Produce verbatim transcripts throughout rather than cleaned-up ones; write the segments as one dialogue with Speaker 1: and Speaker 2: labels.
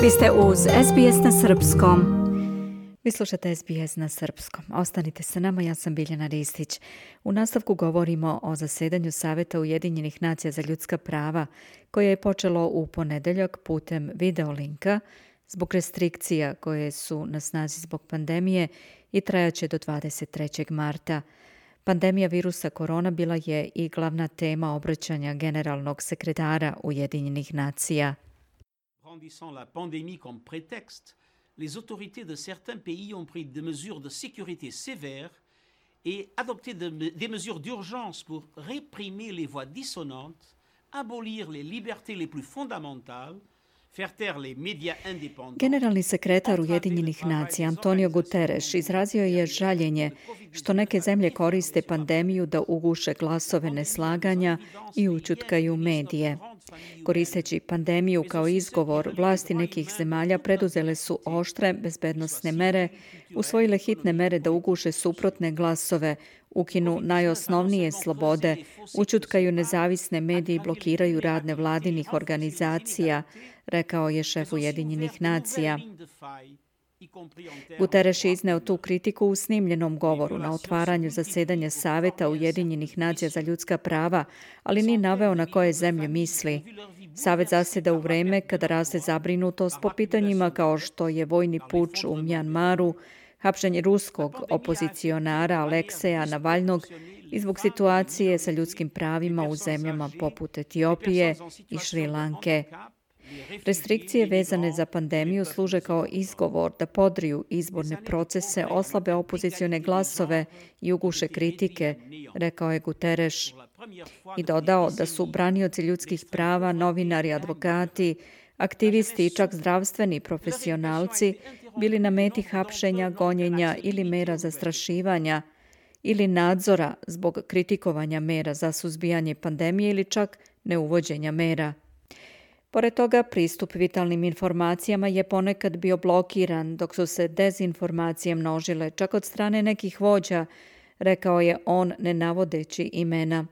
Speaker 1: Vi ste uz es be es na srpskom. Vi slušate es be es na srpskom. Ostanite sa nama, ja sam Biljana Ristić. U nastavku govorimo o zasedanju Saveta Ujedinjenih nacija za ljudska prava, koje je počelo u ponedeljak putem videolinka zbog restrikcija koje su na snazi zbog pandemije i trajaće do dvadeset trećeg marta. Pandemija virusa korona bila je i glavna tema obraćanja generalnog sekretara Ujedinjenih nacija.
Speaker 2: Brandissant la pandémie comme prétexte, les autorités de certains pays ont pris des mesures de sécurité sévères et adopté de, des mesures d'urgence pour réprimer les voix dissonantes, abolir les libertés les plus fondamentales, faire taire les médias indépendants.
Speaker 1: Generalni sekretar Ujedinjenih nacija Antonio Guterres izrazio je žaljenje što neke zemlje koriste pandemiju da uguše glasove neslaganja i ućutkaju medije. Koristeći pandemiju kao izgovor, vlasti nekih zemalja preduzele su oštre bezbednosne mere, usvojile hitne mere da uguše suprotne glasove, ukinu najosnovnije slobode, ućutkaju nezavisne medije i blokiraju rad nevladinih organizacija, rekao je šef Ujedinjenih nacija. Guterres je izneo tu kritiku u snimljenom govoru na otvaranju zasedanja Saveta Ujedinjenih nacija za ljudska prava, ali nije naveo na koje zemlje misli. Savet zaseda u vreme kada raste zabrinutost po pitanjima kao što je vojni puč u Mjanmaru, hapšenje ruskog opozicionara Alekseja Navalnog i zbog situacije sa ljudskim pravima u zemljama poput Etiopije i Šri Lanke. Restrikcije vezane za pandemiju služe kao izgovor da podriju izborne procese, oslabe opozicione glasove i uguše kritike, rekao je Guterres. I dodao da su branioci ljudskih prava, novinari, advokati, aktivisti i čak zdravstveni profesionalci bili na meti hapšenja, gonjenja ili mera zastrašivanja ili nadzora zbog kritikovanja mera za suzbijanje pandemije ili čak neuvođenja mera. Pored toga, pristup vitalnim informacijama je ponekad bio blokiran, dok su se dezinformacije množile, čak od strane nekih vođa, rekao je on ne navodeći imena.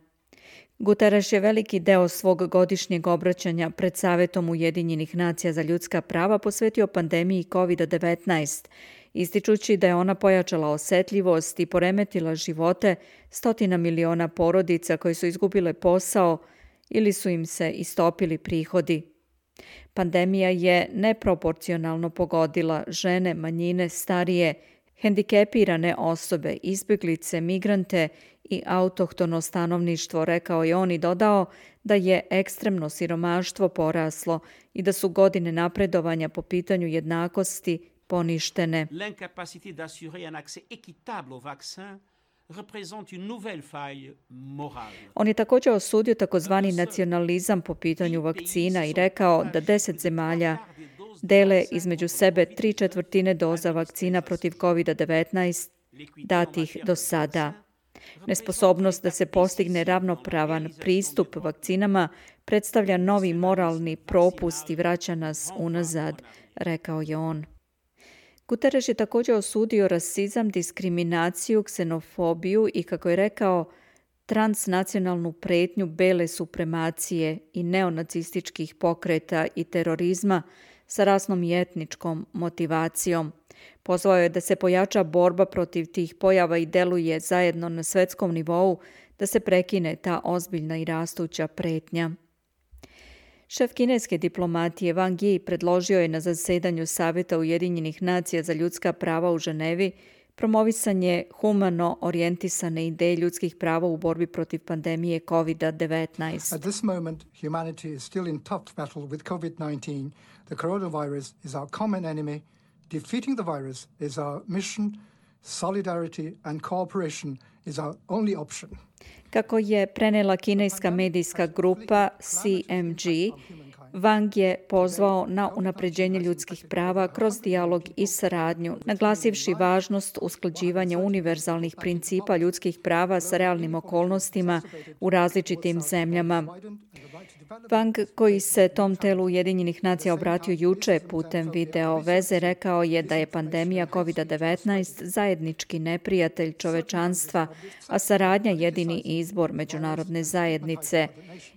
Speaker 1: Guterres je veliki deo svog godišnjeg obraćanja pred Savetom Ujedinjenih nacija za ljudska prava posvetio pandemiji kovid devetnaest, ističući da je ona pojačala osetljivost i poremetila živote stotina miliona porodica koje su izgubile posao ili su im se istopili prihodi. Pandemija je neproporcionalno pogodila žene, manjine, starije, hendikepirane osobe, izbjeglice, migrante i autohtono stanovništvo, rekao je on i dodao da je ekstremno siromaštvo poraslo i da su godine napredovanja po pitanju jednakosti poništene.
Speaker 2: L'incapacité d'assurer un accès équitable au vaccin représente une nouvelle faille morale.
Speaker 1: On je također osudio takozvani nacionalizam po pitanju vakcina i rekao da deset zemalja dele između sebe tri četvrtine doza vakcina protiv kovid devetnaest datih do sada. Nesposobnost da se postigne ravnopravan pristup vakcinama predstavlja novi moralni propust i vraća nas unazad, rekao je on. Guterres je također osudio rasizam, diskriminaciju, ksenofobiju i, kako je rekao, transnacionalnu pretnju bele supremacije i neonacističkih pokreta i terorizma sa rasnom i etničkom motivacijom. Pozvao je da se pojača borba protiv tih pojava i deluje zajedno na svetskom nivou da se prekine ta ozbiljna i rastuća pretnja. Šef kineske diplomatije Wang Yi predložio je na zasedanju Saveta Ujedinjenih nacija za ljudska prava u Ženevi promovisanje humano orijentisane ideje ljudskih prava u borbi protiv pandemije kovid devetnaest.
Speaker 3: At this moment, humanity is still in tough battle with covid nineteen. The coronavirus is our common enemy. Defeating the virus is our mission. Solidarity and cooperation is our only option.
Speaker 1: Kako je prenela kineska medijska grupa C M G, Wang je pozvao na unapređenje ljudskih prava kroz dijalog i saradnju, naglasivši važnost usklađivanja univerzalnih principa ljudskih prava sa realnim okolnostima u različitim zemljama. Wang, koji se tom telu Ujedinjenih nacija obratio juče putem video veze, rekao je da je pandemija kovid devetnaest zajednički neprijatelj čovečanstva, a saradnja jedini izbor međunarodne zajednice.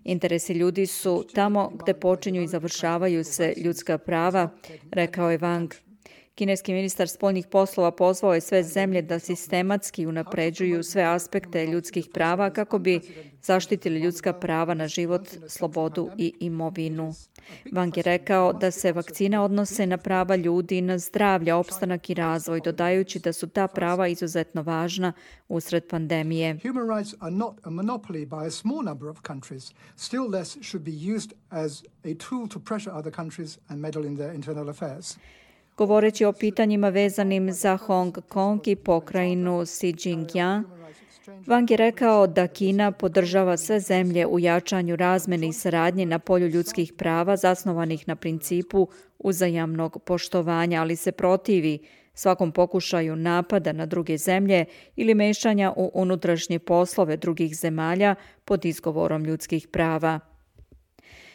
Speaker 1: Interesi ljudi su tamo gde počinju i završavaju se ljudska prava, rekao je Wang. Kineski ministar spoljnih poslova pozvao je sve zemlje da sistematski unapređuju sve aspekte ljudskih prava kako bi zaštitili ljudska prava na život, slobodu i imovinu. Wang je rekao da se vakcine odnose na prava ljudi i na zdravlje, opstanak i razvoj, dodajući da su ta prava izuzetno važna usred pandemije.
Speaker 3: Human rights are not a monopoly by a small number of countries. Still less should be used as a tool to pressure other countries and meddle in their internal affairs.
Speaker 1: Govoreći o pitanjima vezanim za Hong Kong i pokrajinu Xinjiang, Wang je rekao da Kina podržava sve zemlje u jačanju razmene i saradnje na polju ljudskih prava zasnovanih na principu uzajamnog poštovanja, ali se protivi svakom pokušaju napada na druge zemlje ili mešanja u unutrašnje poslove drugih zemalja pod izgovorom ljudskih prava.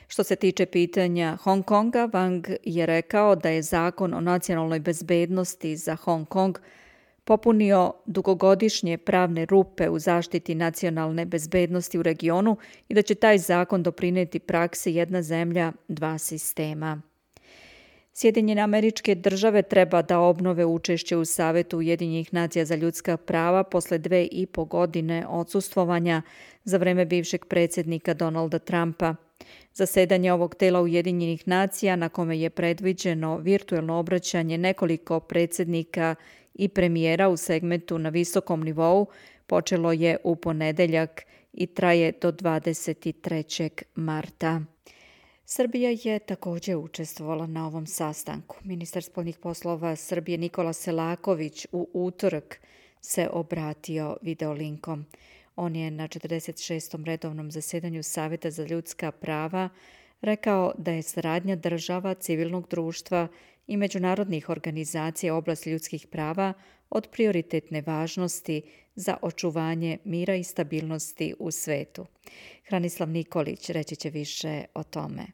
Speaker 1: Što se tiče pitanja Hong Konga, Wang je rekao da je zakon o nacionalnoj bezbednosti za Hong Kong popunio dugogodišnje pravne rupe u zaštiti nacionalne bezbednosti u regionu i da će taj zakon doprineti praksi jedna zemlja, dva sistema. Sjedinjene Američke Države treba da obnove učešće u Savetu Ujedinjenih nacija za ljudska prava posle dve i po godine odsustvovanja za vreme bivšeg predsjednika Donalda Trumpa. Zasedanje ovog tela Ujedinjenih nacija, na kome je predviđeno virtuelno obraćanje nekoliko predsjednika i premijera u segmentu na visokom nivou, počelo je u ponedeljak i traje do dvadeset trećeg marta. Srbija je također učestvovala na ovom sastanku. Ministar spoljnih poslova Srbije Nikola Selaković u utorak se obratio videolinkom. On je na četrdeset šestom redovnom zasedanju Saveta za ljudska prava rekao da je saradnja država, civilnog društva i međunarodnih organizacija u oblasti ljudskih prava od prioritetne važnosti za očuvanje mira i stabilnosti u svetu. Hranislav Nikolić reći će više o tome.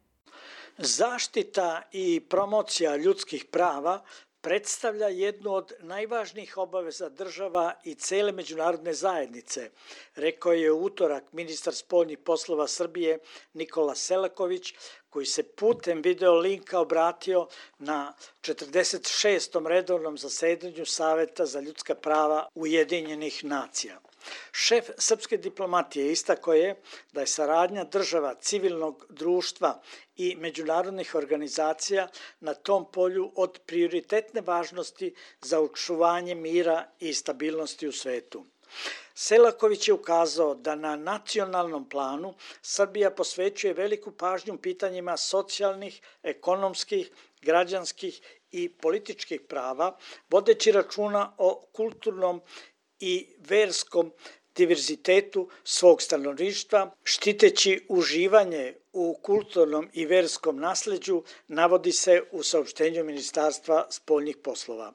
Speaker 4: Zaštita i promocija ljudskih prava predstavlja jednu od najvažnijih obaveza država i cele međunarodne zajednice, rekao je u utorak ministar spoljnih poslova Srbije Nikola Selaković, koji se putem video linka obratio na četrdeset šestom redovnom zasedanju Saveta za ljudska prava Ujedinjenih nacija. Šef srpske diplomatije istakao je da je saradnja država, civilnog društva i međunarodnih organizacija na tom polju od prioritetne važnosti za očuvanje mira i stabilnosti u svetu. Selaković je ukazao da na nacionalnom planu Srbija posvećuje veliku pažnju pitanjima socijalnih, ekonomskih, građanskih i političkih prava, vodeći računa o kulturnom i verskom diverzitetu svog stanovništva, štiteći uživanje u kulturnom i verskom nasleđu, navodi se u saopštenju Ministarstva spoljnih poslova.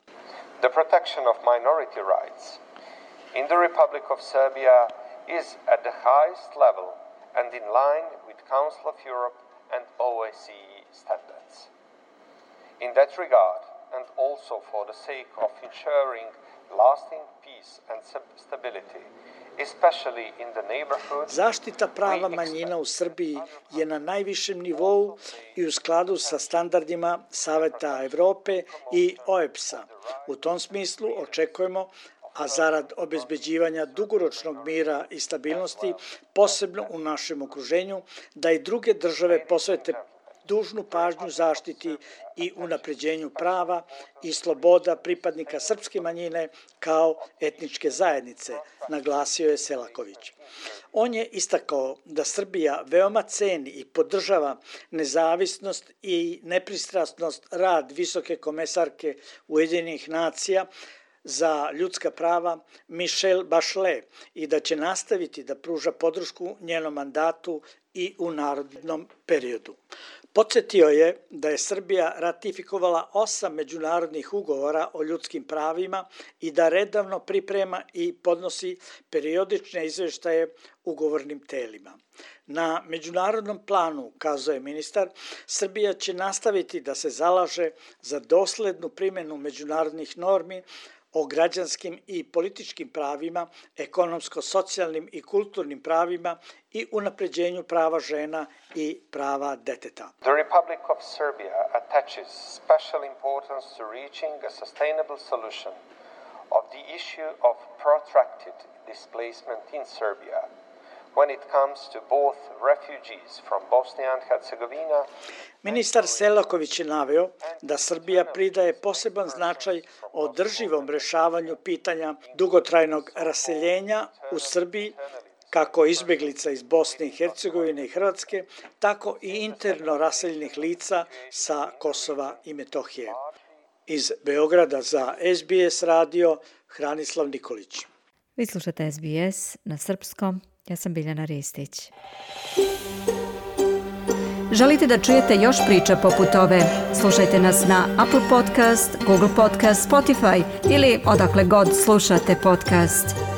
Speaker 5: The protection of minority rights in the Republic of Serbia is at the highest level and in line with Council of Europe and O S C E standards. In that regard, and also for the sake of ensuring lasting peace and stability, especially in the neighborhood.
Speaker 4: Zaštita prava manjina u Srbiji je na najvišem nivou i u skladu sa standardima Saveta Evrope i O E B S-a. U tom smislu očekujemo, a zarad obezbeđivanja dugoročnog mira i stabilnosti, posebno u našem okruženju, da i druge države posvete dužnu pažnju zaštiti i unapređenju prava i sloboda pripadnika srpske manjine kao etničke zajednice, naglasio je Selaković. On je istakao da Srbija veoma ceni i podržava nezavisnost i nepristrasnost rad visoke komesarke Ujedinjenih nacija za ljudska prava Michelle Bachelet i da će nastaviti da pruža podršku njenom mandatu i u narednom periodu. Podsjetio je da je Srbija ratifikovala osam međunarodnih ugovora o ljudskim pravima i da redovno priprema i podnosi periodične izveštaje ugovornim telima. Na međunarodnom planu, kazuje ministar, Srbija će nastaviti da se zalaže za doslednu primjenu međunarodnih normi o građanskim i političkim pravima, ekonomsko-socijalnim i kulturnim pravima i unapređenju prava žena i prava deteta.
Speaker 5: The Republic of Serbia attaches special importance to reaching a sustainable solution of the issue of protracted displacement in Serbia when it comes to both refugees from Bosnia and Herzegovina.
Speaker 4: Ministar Selaković je naveo da Srbija pridaje poseban značaj održivom rešavanju pitanja dugotrajnog raseljenja u Srbiji, kako izbeglica iz Bosne i Hercegovine i Hrvatske, tako i interno raseljenih lica sa Kosova i Metohije. Iz Beograda za S B S radio, Hranislav Nikolić.
Speaker 1: Vi slušate S B S na srpskom. Ja sam Biljana Ristić. Želite da čujete još priča poput ove? Slušajte nas na Apple Podcast, Google Podcast, Spotify ili odakle god slušate podcast.